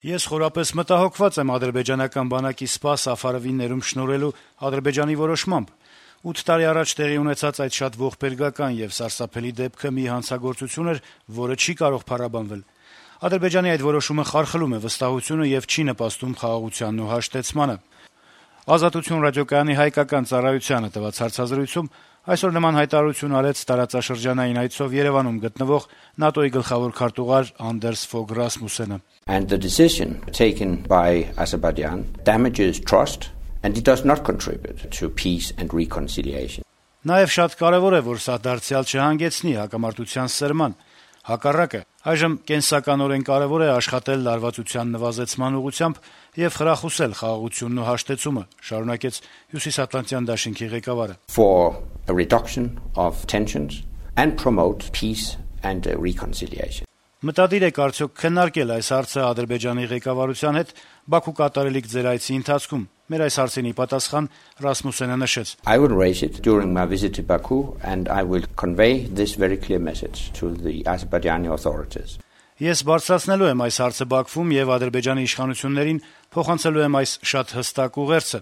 Ես խորապես մտահոգված եմ ադրբեջանական բանակի Սպա Սաֆարովի ներում շնորհելու Ադրբեջանի որոշմամբ։ 8 տարի առաջ տեղի ունեցած այդ շատ ողբերգական եւ սարսափելի դեպքը մի հանցագործություն էր, որը չի կարող փառաբանվել։ Ադրբեջանի այդ որոշումը խարխլում է վստահությունը եւ չի նպաստում խաղաղությանն ու հաշտեցմանը։ Ազատություն ռադիոկայանի հայկական ծառայությանը տված հարցազրույցում այսօր նման հայտարարություն արեց տարածաշրջանային այցով Երևանում գտնվող ՆԱՏՕ-ի գլխավոր քարտուղար Անդերս Ֆոգ Ռասմուսենը։ And the decision taken by Azerbaijan damages trust and it does not contribute to peace and reconciliation. Նաեւ շատ կարեւոր է, որ սա դարձյալ չհանգեցնի հակամարտության սրման։ Հակառակը, այժմ կենսականորեն կարեւոր է աշխատել լարվածության նվազեցման ուղղությամբ եւ խրախուսել խաղաղությունն ու հաշտեցումը, շարունակեց Հյուսիսատլանտյան դաշինքի ղեկավարը։ For a reduction of tensions and promote peace and reconciliation. Մտադիր եք արդյոք քննարկել այս հարցը Ադրբեջանի ղեկավարության հետ Բաքու կատարելիք ձեր այցի ընթացքում։ Մեր այս հարցինի պատասխան Ռասմուսենը նշեց. I will raise it during my visit to Baku and I will convey this very clear message to the Azerbaijani authorities. Ես բարձրացնելու եմ այս հարցը Բաքվում եւ Ադրբեջանի իշխանություններին փոխանցելու եմ այս շատ հստակ ուղերձը։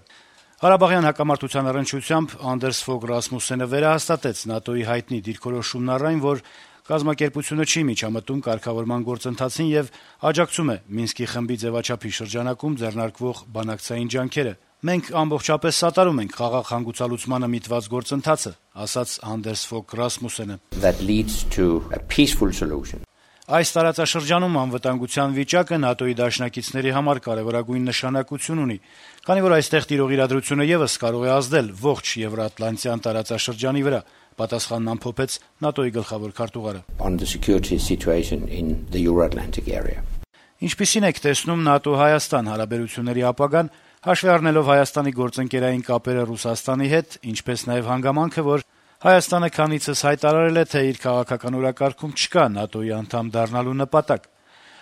Ղարաբաղյան հակամարտության առնչությամբ Անդերս Ֆոգ Ռասմուսենը վերահաստատեց ՆԱՏՕ-ի հայտնի դիրքորոշումն առայն, որ կազմակերպությունը չի միջամտում կարգավորման գործընթացին եւ աջակցում է Մինսկի խմբի ձևաչափի շրջանակում ձեռնարկվող բանակցային ջանքերը։ Մենք ամբողջապես սատարում ենք խաղաղ հանգուցալուծմանը միտված գործընթացը, ասաց Անդերս Ֆոգ Ռասմուսենը։ That leads to a peaceful solution. Այս տարածաշրջանում անվտանգության վիճակը ՆԱՏՕ-ի դաշնակիցների համար կարևորագույն նշանակություն ունի, քանի որ այստեղ տիրող իրադրությունը եւս կարող է ազդել ողջ Եվրատլանտյան տարածաշրջանի վրա, պատասխանն ամփոփեց ՆԱՏՕ-ի գլխավոր քարտուղարը։ On the security situation in the Euro-Atlantic area. Ինչպիսին եք տեսնում ՆԱՏՕ-Հայաստան հարաբերությունների ապագան, հաշվի առնելով Հայաստանի գործընկերային կապերը Ռուսաստանի հետ, ինչպես նաեւ հանգամանքը, որ Հայաստանը քանիցս հայտարարել է, թե իր քաղաքական օրակարգում չկա ՆԱՏՕ-ի անդամ դառնալու նպատակ։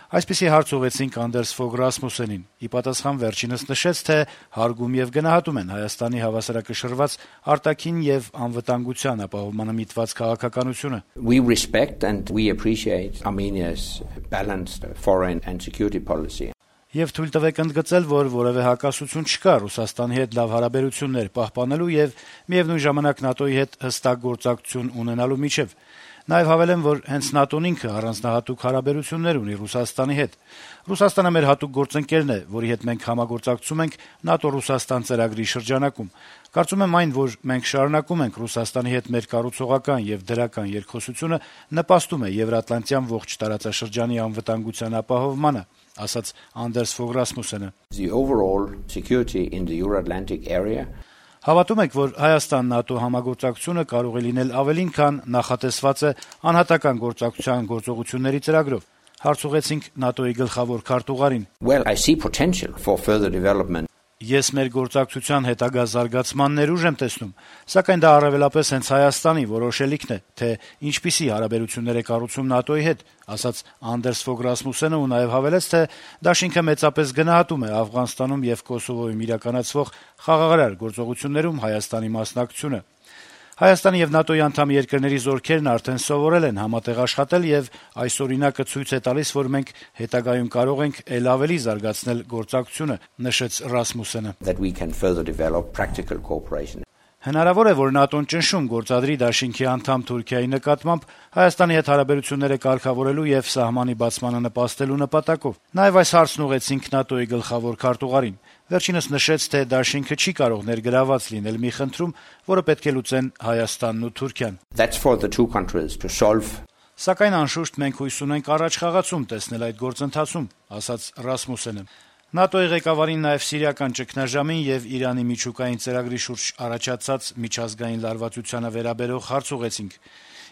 Այսպիսի հարց ուղեցինք Անդերս Ֆոգ Ռասմուսենին։ Ի պատասխան վերջինս նշեց, թե հարգում եւ գնահատում են Հայաստանի հավասարակշռված արտաքին եւ անվտանգության ապահովմանը միտված քաղաքականությունը։ We respect and we appreciate Armenia's balanced foreign and security policy. Եվ թույլ տվեք ընդգծել, որ որևէ հակասություն չկա Ռուսաստանի հետ լավ հարաբերություններ պահպանելու եւ միևնույն ժամանակ ՆԱՏՕ-ի հետ հստակ գործակցություն ունենալու միջեւ։ Նաեւ հավելեմ, որ հենց ՆԱՏՕ-ն ինքը առանձնահատուկ հարաբերություններ ունի Ռուսաստանի հետ։ Ռուսաստանը մեր հատուկ գործընկերն է, որի հետ մենք համագործակցում ենք ՆԱՏՕ-Ռուսաստան ծրագրի շրջանակում։ Կարծում եմ այն, որ մենք շարունակում ենք Ռուսաստանի հետ մեր կառուցողական եւ դրական երկխոսությունը նպաստում է Եվրատլանտյան ողջ տարածաշրջանի անվտանգության ապահովմանը, ասաց Անդերս Ֆոգ Ռասմուսենը։ The overall security in the Euro-Atlantic area. Հավատում եք, որ Հայաստան-ՆԱՏՕ համագործակցությունը կարող է լինել ավելին, քան նախատեսված է անհատական գործակցության գործողությունների ծրագրով։ Հարց ուղեցինք ՆԱՏՕ-ի գլխավոր քարտուղարին։ Well, I see potential for further development. Ես մեր գործակցության հետագա զարգացման ներուժ եմ տեսնում, սակայն դա առավելապես հենց Հայաստանի որոշելիքն է, թե ինչպիսի հարաբերություններ է կառուցում ՆԱՏՕ-ի հետ, ասաց Անդերս Ֆոգ Ռասմուսենը ու նաև հավելեց, թե դաշինքը մեծապես գնահատում է Աֆղանստանում եւ Կոսովոյում իրականացվող խաղաղարար գործողություններում Հայաստանի մասնակցությունը։ Հայաստանի եւ ՆԱՏՕ-ի անդամ երկրների զորքերն արդեն սովորել են համատեղ աշխատել եւ այս օրինակը ցույց է տալիս, որ մենք հետագայում կարող ենք ել ավելի զարգացնել գործակցությունը, նշեց Ռասմուսենը։ That we can further develop practical cooperation. Հնարավոր է, որ ՆԱՏՕ-ն ճնշում գործադրի դաշինքի անդամ Թուրքիայի նկատմամբ Հայաստանի հետ հարաբերությունները կարգավորելու եւ սահմանի բացմանը նպաստելու նպատակով։ Նաեւ այս հարցն ուղեցինք ՆԱՏՕ-ի գլխավոր քարտուղարին։ Վերջինս նշեց, թե դաշինքը չի կարող ներգրաված լինել մի խնդրում, որը պետք է լուծեն Հայաստանն ու Թուրքիան։ That's for the two countries to solve. Սակայն անշուշտ մենք հույս ունենք առաջ խաղացում տեսնել այդ գործընթացում, ասաց Ռասմուսենը։ ՆԱՏՕ-ի ղեկավարին նաև սիրիական ճգնաժամին եւ Իրանի միջուկային ծրագրի շուրջ առաջացած միջազգային լարվածությանը վերաբերող հարց ուղեցինք։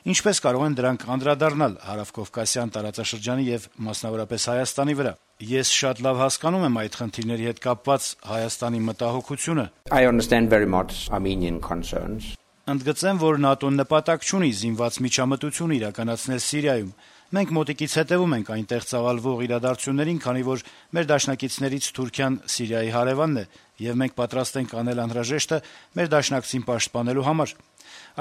Ինչպես կարող են դրանք անդրադառնալ հարավկովկասյան տարածաշրջանի եւ մասնավորապես Հայաստանի վրա։ Ես շատ լավ հասկանում եմ այդ խնդիրների հետ կապված Հայաստանի մտահոգությունը։ I understand very much Armenian concerns. Ընդգծեմ, որ ՆԱՏՕ-ն նպատակ չունի զինված միջամտություն իրականացնել Սիրիայում։ Մենք մոտիկից հետևում ենք այնտեղ ծավալվող իրադարձություններին, քանի որ մեր դաշնակիցներից Թուրքիան Սիրիայի հարևանն է, եւ մենք պատրաստ ենք անել անհրաժեշտը մեր դաշնակցին պաշտպանելու համար։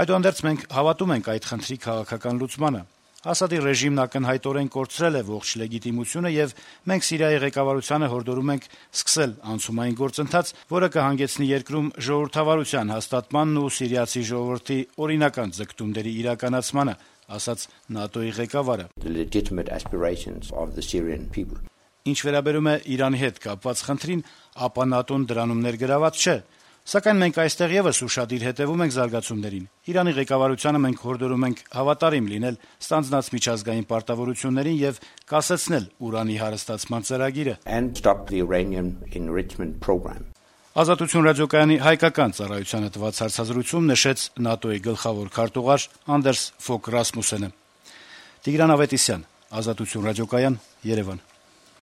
Այդուհանդերձ մենք հավատում ենք այդ խնդրի քաղաքական լուծմանը, Ասադի ռեժիմն ակնհայտորեն կորցրել է ողջ լեգիտիմությունը եւ մենք Սիրիայի ղեկավարությանը հորդորում ենք սկսել անցումային գործընթաց, որը կհանգեցնի երկրում ժողովրդավարության հաստատմանն ու սիրիացի ժողովրդի օրինական ձգտումների իրականացմանը, ասաց ՆԱՏՕ-ի ղեկավարը։ The legitimate aspirations of the Syrian people. Ինչ վերաբերում է Իրանի հետ կապված խնդրին, ապա ՆԱՏՕ-ն դրանում ներգրաված չէ, սակայն մենք այստեղ եւս ուշադիր հետեւում ենք զարգացումներին։ Իրանի ղեկավարությանը մենք հորդորում ենք հավատարիմ լինել ստանձնած միջազգային պարտավորություններին եւ կասեցնել ուրանի հարստացման ծրագիրը։ And stop the uranium enrichment program. Ազատություն ռադիոկայանի հայկական ծառայությանը տված հարցազրույցում նշեց ՆԱՏՕ-ի գլխավոր քարտուղար Անդերս Ֆոկ Ռասմուսենը։ Տիգրան Ավետիսյան, Ազատություն ռադիոկայան, Երևան։